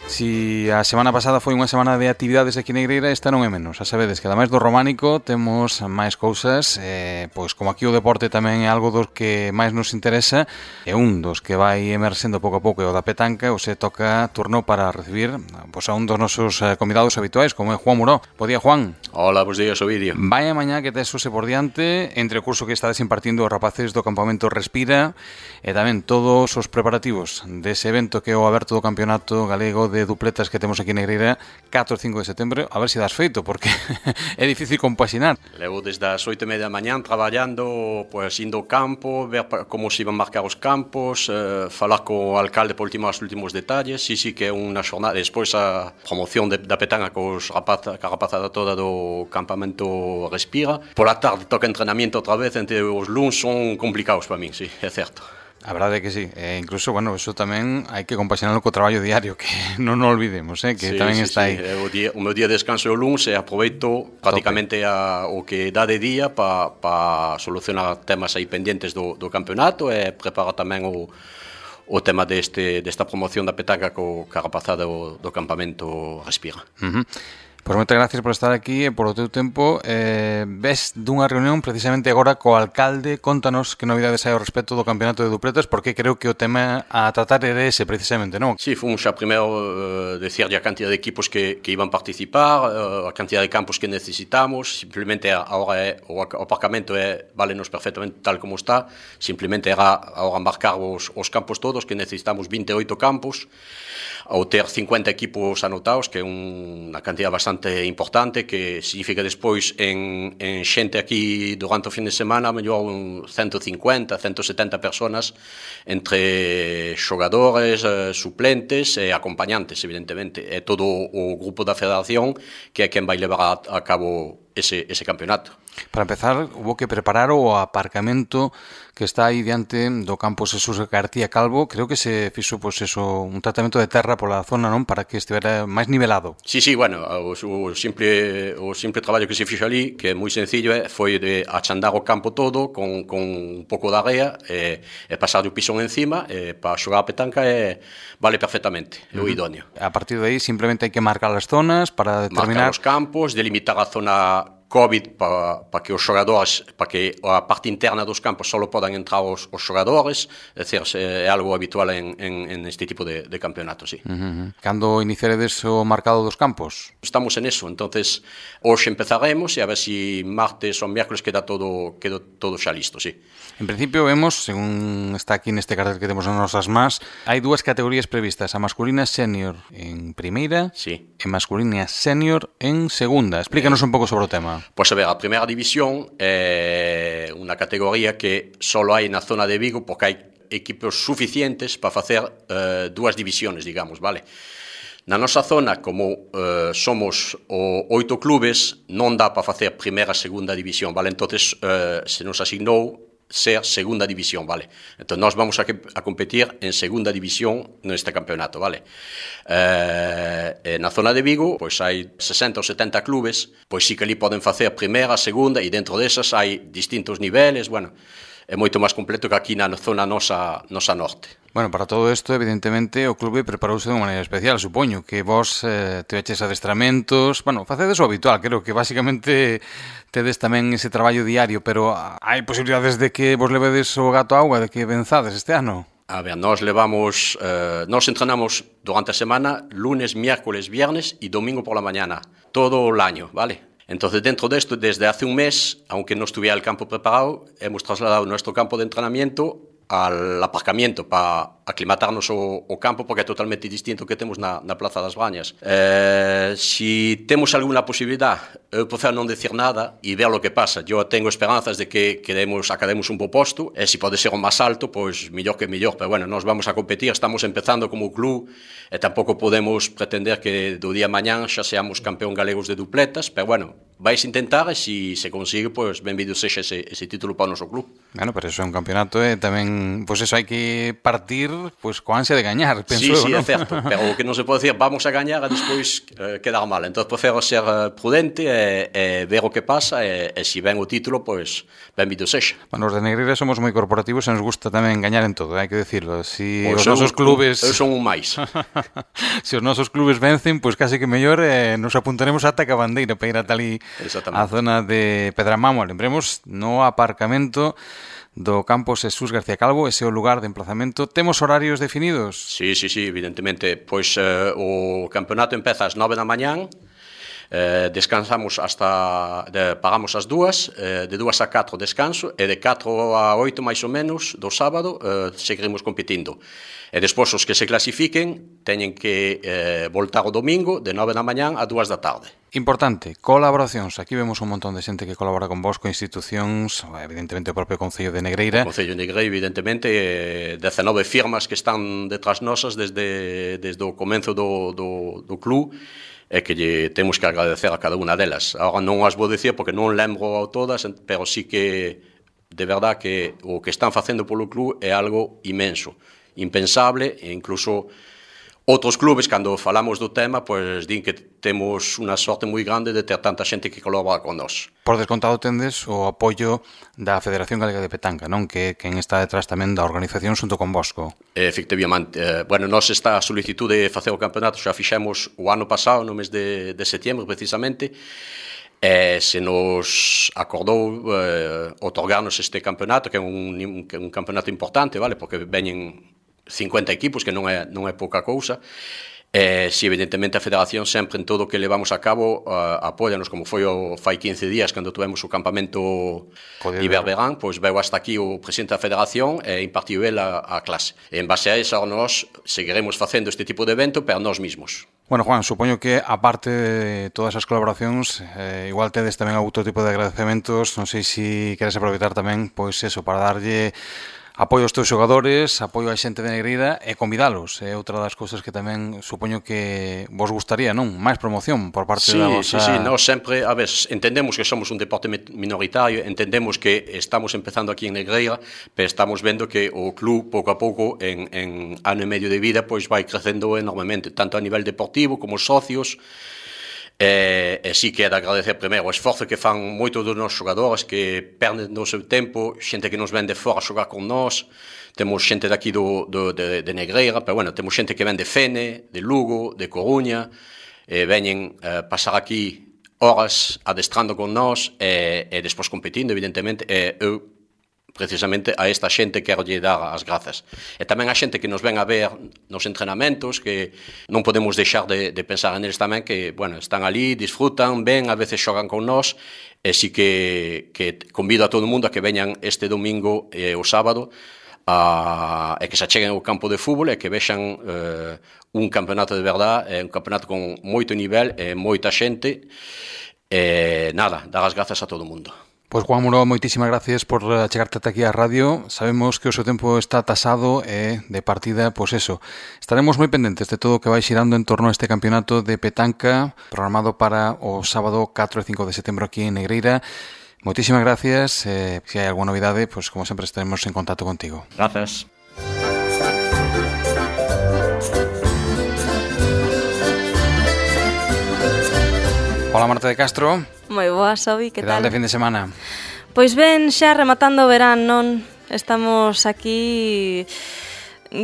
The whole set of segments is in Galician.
Si a semana pasada foi unha semana de actividades aquí na Negreira, esta non é menos. A sabedes que ademais do románico temos máis cousas, pois como aquí o deporte tamén é algo dos que máis nos interesa, e un dos que vai emerxendo pouco a pouco é o da petanca, o se toca turno para recibir pois a un dos nosos convidados habituais, como é Juan Muró. Bo día, Juan. Hola, bos días, Ovidio. Vaya mañá que tes hoxe por diante, entre o curso que estades impartindo os rapaces do campamento Respira, e tamén todos os preparativos dese evento que é o aberto do campeonato galego de dupletas que temos aquí na Negreira 4 e 5 de setembro, a ver se das feito, porque é difícil compaxinar. Levo desde as 8:30 da mañán traballando, pois indo ao campo, ver como se iban marcar os campos, falar co alcalde por os últimos detalles. Sí que é unha xornada, despois a promoción da petanga ca rapazada toda do campamento Respira. Pola tarde toca entrenamiento outra vez, entre os luns son complicados para min, sí, é certo. A verdade é que sí, incluso, bueno, eso tamén hai que compaxinarlo co traballo diario, que non nos olvidemos, que tamén está aí. O meu día de descanso é o luns e aproveito prácticamente o que dá de día para solucionar temas aí pendientes do campeonato e preparar tamén o tema desta promoción da petanca ca rapazada do campamento Respira. Pois moitas gracias por estar aquí e por o teu tempo. Ves dunha reunión precisamente agora co alcalde. Contanos que novidades hai ao respecto do campeonato de dupletas, porque creo que o tema a tratar era ese precisamente, non? Sí, fomos xa primeiro decir a cantidad de equipos que iban participar, a cantidad de campos que necesitamos. Simplemente agora o aparcamento vale-nos perfectamente tal como está. Simplemente era agora embarcar os campos todos, que necesitamos 28 campos, ao ter 50 equipos anotados, que é unha cantidad bastante importante, que significa despois en xente aquí durante o fin de semana, mellor 150, 170 personas, entre xogadores, suplentes e acompañantes, evidentemente. É todo o grupo da federación que é quen vai levar a cabo ese campeonato. Para empezar, hubo que preparar o aparcamento que está aí diante do campo Jesús García Calvo. Creo que se fixo un tratamento de terra pola zona, non? Para que estivera máis nivelado. Sí, bueno, o simple traballo que se fixo ali, que é moi sencillo, foi de achandar o campo todo con un pouco de area e pasar o pisón encima, para xogar a petanca vale perfectamente, é o idóneo. A partir de aí simplemente hai que marcar as zonas para determinar... Marcar os campos, delimitar a zona COVID para que os xogadores, para que a parte interna dos campos só podan entrar os xogadores, é dicir, é algo habitual en este tipo de campeonato, sí. Cando iniciaredes o marcado dos campos? Estamos en eso, entonces hoxe empezaremos e a ver si martes ou miércoles queda todo xa listo, sí. En principio vemos, según está aquí neste cartel que temos nas nosas más, hai dúas categorías previstas, a masculina senior en primeira e masculina senior en segunda. Explícanos un pouco sobre o tema. Pois a ver, a primeira división é unha categoría que só hai na zona de Vigo porque hai equipos suficientes para facer dúas divisións, digamos, vale? Na nosa zona, como somos 8 clubes, non dá para facer primeira e segunda división, vale? Entonces, se nos asignou ser segunda división, vale? Entón, nós vamos a competir en segunda división neste campeonato, vale? Na zona de Vigo, pois hai 60 ou 70 clubes, pois sí que ali poden facer primeira, segunda, e dentro desas hai distintos niveles, bueno, é moito máis completo que aquí na zona nosa norte. Bueno, para todo isto, evidentemente, o clube preparouse de unha maneira especial, supoño, que vos teveches adestramentos, bueno, facedes o habitual, creo que basicamente tedes tamén ese traballo diario, pero hai posibilidades de que vos levedes o gato a auga, de que venzades este ano? A ver, nós entrenamos durante a semana, lunes, miércoles, viernes e domingo por la mañana, todo o año, ¿vale? Entonces, dentro de esto, desde hace un mes, aunque no estuviera el campo preparado, hemos trasladado nuestro campo de entrenamiento al aparcamiento para aclimatarnos o campo, porque é totalmente distinto que temos na Plaza das Bañas. Si temos alguna posibilidad, eu prefiro non decir nada e ver o que pasa. Eu tengo esperanzas de que academos un bo posto, e se pode ser o máis alto, pois mellor que mellor, pero bueno, nós vamos a competir, estamos empezando como club, e tampouco podemos pretender que do día a mañán xa seamos campeón galegos de dupletas, pero bueno, vais intentar e se consigue, pois benvido sexa ese título para o noso club. Bueno, pero eso é un campeonato e tamén, pois eso hai que partir pois coa ansia de gañar, penso sí, eu, sí, non? é certo, pero o que non se pode decir vamos a gañar e despois quedar mal. Entón, prefiro ser prudente e ver o que pasa e se ven o título, pois benvido sexa. Bueno, os de Negreira somos moi corporativos e nos gusta tamén gañar en todo, hai que decirlo. Si Pois os nosos clubes... Eu son un máis. Se os nosos clubes vencen, pois casi que mellor nos apuntaremos ata a bandeira para ir ata ali a zona de Pedramamo. Lembremos, no aparcamento do Campos Jesús García Calvo, ese é o lugar de emplazamento. Temos horarios definidos? Sí, evidentemente. Pois o campeonato empeza ás 9 da mañán, descansamos pagamos as 2, de 2 a 4 descanso, e de 4 a 8 máis ou menos do sábado seguiremos competindo. E despois os que se clasifiquen teñen que voltar o domingo de 9 da mañán a 2 da tarde. Importante, colaboracións. Aquí vemos un montón de xente que colabora con vos, con institucións, evidentemente o propio Concello de Negreira. O Concello de Negreira, evidentemente, 19 firmas que están detrás nosas desde o comenzo do club, e que lle temos que agradecer a cada unha delas. Agora non as vou dicir porque non lembro todas, pero sí que de verdad que o que están facendo polo club é algo imenso, impensable, e incluso outros clubes, cando falamos do tema, pois din que temos unha sorte moi grande de ter tanta xente que colabora con nós. Por descontado tendes o apoio da Federación Galega de Petanca, non? Que quen está detrás tamén da organización xunto con Bosco. Efectivamente. Bueno, nós esta solicitude de facer o campeonato xa fixemos o ano pasado, no mes de setembro, precisamente, e se nos acordou otorgarnos este campeonato, que é un campeonato importante, vale? Porque veñen 50 equipos, que non é pouca cousa. Si evidentemente a Federación sempre en todo o que levamos a cabo apóyanos, como foi fai 15 días cando tuvemos o campamento Iberverán, pois veu hasta aquí o presidente da Federación e impartiu el a clase. E en base a eso nós seguiremos facendo este tipo de evento para nós mismos. Bueno, Juan, supoño que aparte de todas as colaboracións, igual tedes tamén outro tipo de agradecementos. Non sei se queres aproveitar tamén, pois eso, para darlle apoio aos teus xogadores, apoio á xente de Negreira e convidalos. É outra das cousas que tamén supoño que vos gustaría, non? Máis promoción por parte da vosa... Sí, nós sempre, a ver, entendemos que somos un deporte minoritario, entendemos que estamos empezando aquí en Negreira, pero estamos vendo que o club, pouco a pouco, en ano e medio de vida, pois vai crecendo enormemente, tanto a nivel deportivo como os socios. E sí que é de agradecer primeiro o esforzo que fan moitos dos nosos xogadores, que perden o seu tempo, xente que nos ven de fora a xogar con nós. Temos xente daqui de Negreira, pero bueno, temos xente que ven de Fene, de Lugo, de Coruña, veñen pasar aquí horas adestrando con nós e despois competindo, evidentemente. Eu precisamente a esta xente quero lle dar as grazas. E tamén a xente que nos ven a ver nos entrenamentos, que non podemos deixar de pensar neles tamén, que, bueno, están ali, disfrutan, ven, a veces xogan con nós, e si que convido a todo o mundo a que veñan este domingo e o sábado, e que se acheguen ao campo de fútbol e que vexan un campeonato de verdade, un campeonato con moito nivel e moita xente, e nada, dar as grazas a todo o mundo. Pois Juan Muro, moitísimas gracias por chegarte ata aquí á radio. Sabemos que o seu tempo está tasado e de partida, pois eso. Estaremos moi pendentes de todo o que vai xirando en torno a este campeonato de petanca programado para o sábado 4 e 5 de setembro aquí en Negreira. Moitísimas gracias. Se hai alguna novidade, pois como sempre estaremos en contacto contigo. Gracias. Hola, Marta de Castro. Moi boa, Sobi, que tal? De fin de semana? Pois ben, xa rematando o verán, non? Estamos aquí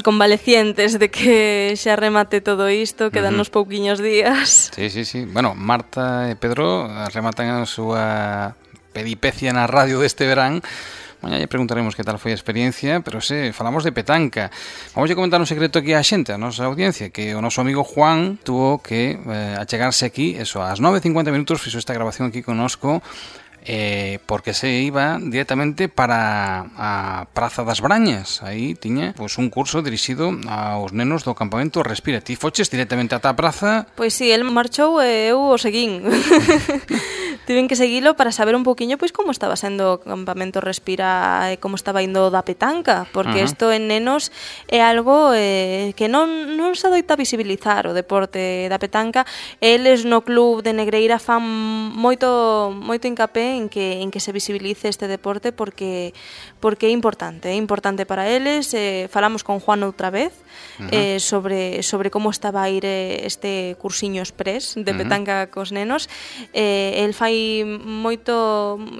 convalecientes de que xa remate todo isto, quedan uns pouquiños días. Sí. Bueno, Marta e Pedro rematan a súa peripecia na radio deste verán. Mañá lle preguntaremos que tal foi a experiencia, pero falamos de petanca. Vamos a comentar un secreto aquí á xente, a nosa audiencia, que o noso amigo Juan tuvo que achegarse aquí, eso, ás 9:50 minutos, fixo esta grabación aquí connosco, porque se iba directamente para a Praza das Brañas. Aí tiña un curso dirixido aos nenos do campamento Respira. Ti foches directamente ata a praza? Pois sí, el marchou e eu o seguín. Tiven que seguilo para saber un poquinho pois como estaba sendo o campamento Respira e como estaba indo da petanca, porque isto en nenos é algo que non se adoita visibilizar o deporte da petanca. Eles no club de Negreira fan moito hincapé en que se visibilice este deporte porque é importante para eles. Falamos con Juan outra vez sobre como estaba a ir este cursiño express de petanca cos nenos. El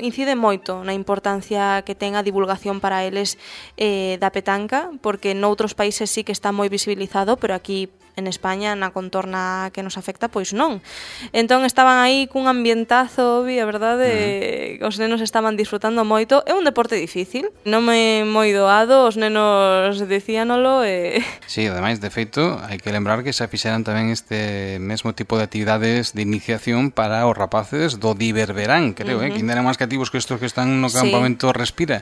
incide moito na importancia que ten a divulgación para eles da petanca, porque noutros países sí que está moi visibilizado, pero aquí en España, na contorna que nos afecta, pois non. Entón estaban aí cun ambientazo, a verdade, os nenos estaban disfrutando moito. É un deporte difícil, non é moi doado, os nenos dicíanolo e... Sí, ademais, de feito, hai que lembrar que xa fixeran tamén este mesmo tipo de actividades de iniciación para os rapaces do Diververán, creo, que ainda eran máis cativos que estos que están no campamento Respira.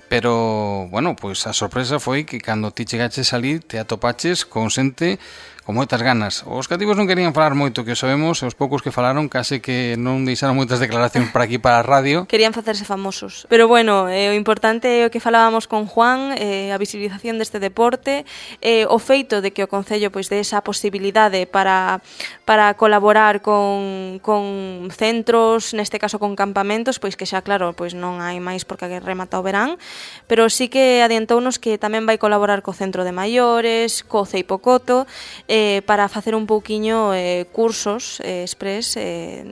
Pero, bueno, pois a sorpresa foi que cando ti chegaches ali te atopaches con xente con moitas ganas. Os cativos non querían falar moito, que o sabemos, e os poucos que falaron case que non deixaron moitas declaracións para aquí para a radio. Querían facerse famosos. Pero bueno, o importante é o que falábamos con Juan, a visibilización deste deporte, o feito de que o Concello pois de esa posibilidade para colaborar con centros, neste caso con campamentos, pois que xa claro, pois non hai máis porque remata o verán, pero sí que adiantounos que tamén vai colaborar co Centro de Maiores, co Ceipocoto, para facer un pouquiño cursos express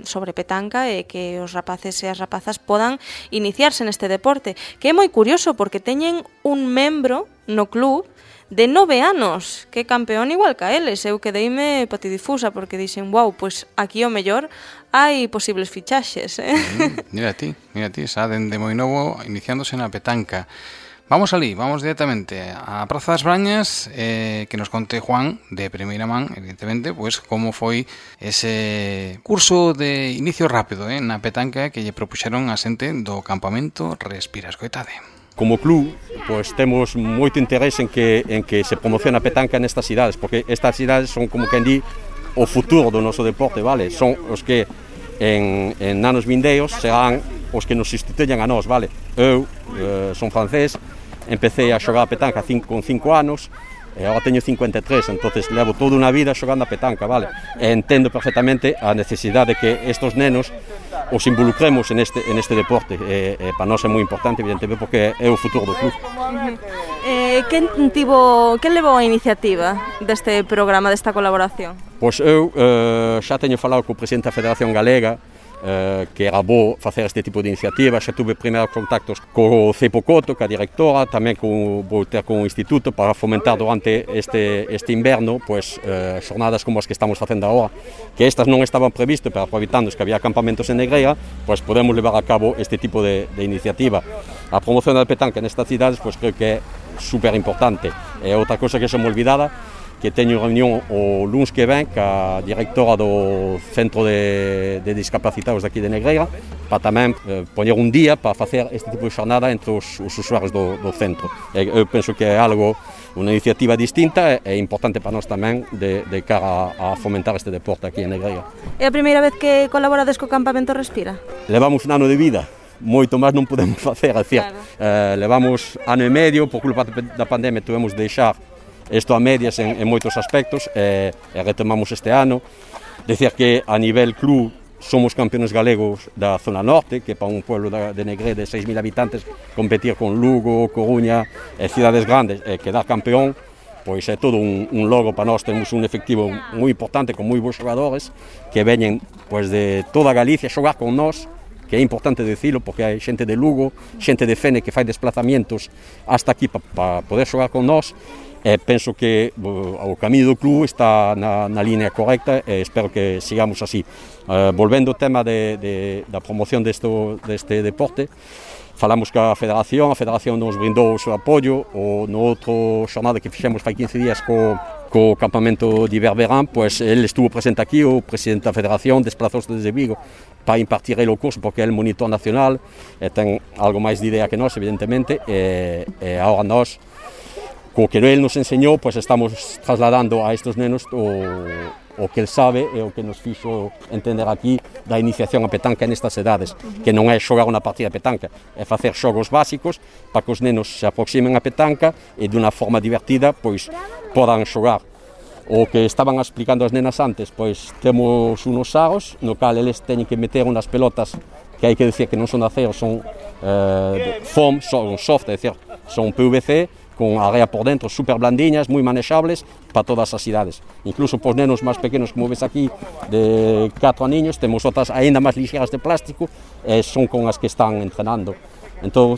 sobre petanca e que os rapaces e as rapazas podan iniciarse neste deporte, que é moi curioso porque teñen un membro no club de 9 anos, que é campeón igual que a eles. Eu quedeime patidifusa porque dixen, wow, pois aquí o mellor hai posibles fichaxes. Mira ti, xa dende moi novo iniciándose na petanca. Vamos ali, vamos directamente a Praza das Brañas, que nos conte Juan, de primeira man, evidentemente, pues como foi ese curso de inicio rápido na petanca que lle propuxeron a xente do campamento Respira. Escoitade. Como club, pues temos moito interés en que se promocione a petanca nestas cidades, porque estas cidades son, como quen di, o futuro do noso deporte, vale? Son os que en anos vindeiros serán os que nos sustituyan a nós, vale? Eu son francés, empecé a xogar a petanca con 5 anos, e agora teño 53, entonces levo toda unha vida xogando a petanca, vale? E entendo perfectamente a necesidade de que estos nenos os involucremos en este deporte, e para nós é moi importante, evidentemente, porque é o futuro do club. Quen levou a iniciativa deste programa, desta colaboración? Pois eu xa teño falado co presidente da Federación Galega, que era bo facer este tipo de iniciativa. Xa tuve primeiros contactos co Ceipocoto, ca directora, tamén vou ter con o Instituto para fomentar durante este inverno pues, xornadas como as que estamos facendo agora, que estas non estaban previstas, pero aproveitando que había campamentos en Negreira, pues podemos levar a cabo este tipo de iniciativa. A promoción da petanca nestas cidades pues, creo que é super importante. E outra cosa que xa me olvidada, que teño reunión o luns que ven ca directora do Centro de Discapacitados daqui de Negreira para tamén poñer un día para facer este tipo de xornada entre os usuarios do centro. Eu penso que é algo, unha iniciativa distinta e importante para nós tamén de cara a fomentar este deporte aquí en Negreira. É a primeira vez que colaborades co Campamento Respira? Levamos un ano de vida, moito máis non podemos facer, é dicir, levamos ano e medio, por culpa da pandemia tuvemos de deixar isto a medias en moitos aspectos e retomamos este ano. Decir que a nivel club somos campeones galegos da zona norte, que para un pueblo de Negreira de 6.000 habitantes competir con Lugo, Coruña e cidades grandes e quedar campeón, pois é todo un logro para nós. Temos un efectivo moi importante con moi bons xogadores que veñen pois, de toda Galicia a xogar con nós, que é importante dicilo porque hai xente de Lugo, xente de Fene que fai desplazamientos hasta aquí para poder xogar con nós. Penso que o camiño do club está na línea correcta e espero que sigamos así. Volvendo ao tema da promoción deste deporte, falamos ca Federación, a Federación nos brindou o seu apoio, no outro xornada que fixemos fai 15 días co campamento de Iberverán, pois ele estuvo presente aquí, o presidente da Federación desplazouse desde Vigo para impartir ele o curso, porque é o monitor nacional, e ten algo máis de idea que nós, evidentemente, e agora nós, co que ele nos enseñou, pues estamos trasladando a estes nenos o que el sabe e o que nos fixo entender aquí da iniciación a petanca nestas edades, que non é xogar unha partida de petanca, é facer xogos básicos para que os nenos se aproximen a petanca e de unha forma divertida pois podan xogar. O que estaban explicando as nenas antes, pois temos unos aros no cal eles teñen que meter unas pelotas que hai que decir que non son de acero, son foam, son soft, é dicir, son PVC, con area por dentro, super blandiñas, moi manexables para todas as idades. Incluso para os nenos máis pequenos, como ves aquí, de 4 aniños, temos outras aínda máis lixeras de plástico, son con as que están entrenando. Entón,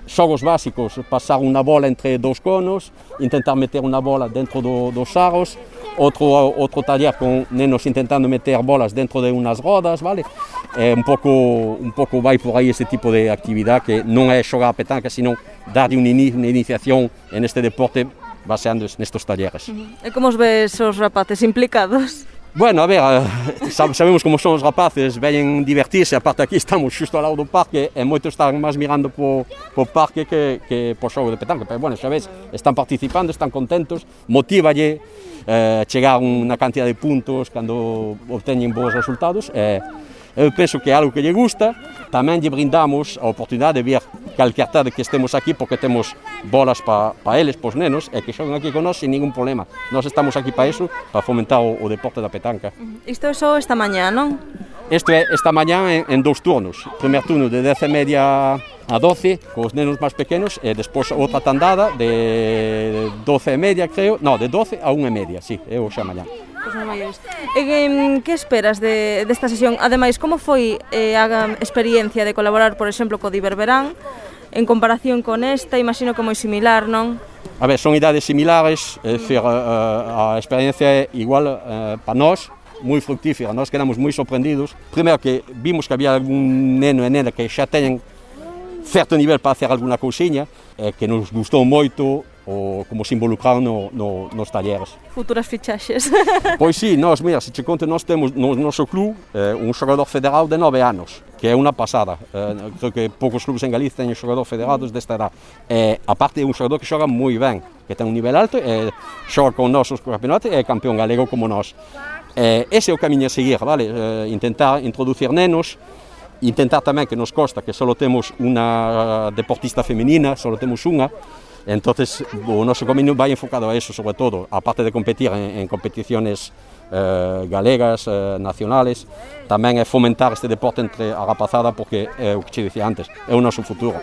xogos básicos, pasar unha bola entre dous conos, intentar meter unha bola dentro dos aros, outro taller con nenos intentando meter bolas dentro de unas rodas, vale? Un pouco vai por aí ese tipo de actividade que non é xogar a petanca, sino dar unha iniciación en este deporte baseando nestes talleres. E como os ves os rapaces implicados? Bueno, a ver, sabemos como son os rapaces, veñen divertirse, aparte aquí estamos xusto ao lado do parque e moitos están máis mirando po parque que po xogo de petanca, pero bueno, xa ves, están participando, están contentos, motívalle chegar unha cantidad de puntos cando obteñen bons resultados. Eu penso que é algo que lle gusta, tamén lle brindamos a oportunidade de ver calquer tarde que estemos aquí porque temos bolas para eles, para os nenos, e que xoguen aquí con nós sin ningún problema. Nós estamos aquí para iso, para fomentar o deporte da petanca. Isto é só esta mañá, non? Isto é esta mañá en 2 turnos. Primer turno de 10:30 a 12, con os nenos máis pequenos, e despois outra tandada de 12:30, creo, no, de 12 a 1:30, sí, é o xa mañá. Que esperas desta sesión? Ademais, como foi a experiencia de colaborar, por exemplo, co Diverberán en comparación con esta? Imagino que moi similar, non? A ver, son idades similares, é dicir, a experiencia é igual para nós, moi fructífera. Nós quedamos moi sorprendidos. Primeiro que vimos que había algún neno e nena que xa teñen certo nivel para hacer alguna cousiña, que nos gustou moito o como se involucraron nos talleres. Futuras fichaxes. Pois sí, mira, se che conto, nós temos no noso club un xogador federal de 9 anos, que é unha pasada. Creo que poucos clubes en Galicia teñen xogador federados desta edad. Aparte é un xogador que xoga moi ben, que ten un nivel alto, xoga con nosos campeonatos e é campeón galego como nós. Ese é o camiño a seguir, vale? Intentar introducir nenos, intentar tamén que nos consta que só temos unha deportista femenina, só temos unha. Entonces, o noso camiño vai enfocado a eso, sobre todo, aparte de competir en competiciones galegas, nacionales, tamén é fomentar este deporte entre a rapazada, porque é o que che dicía antes, é o noso futuro.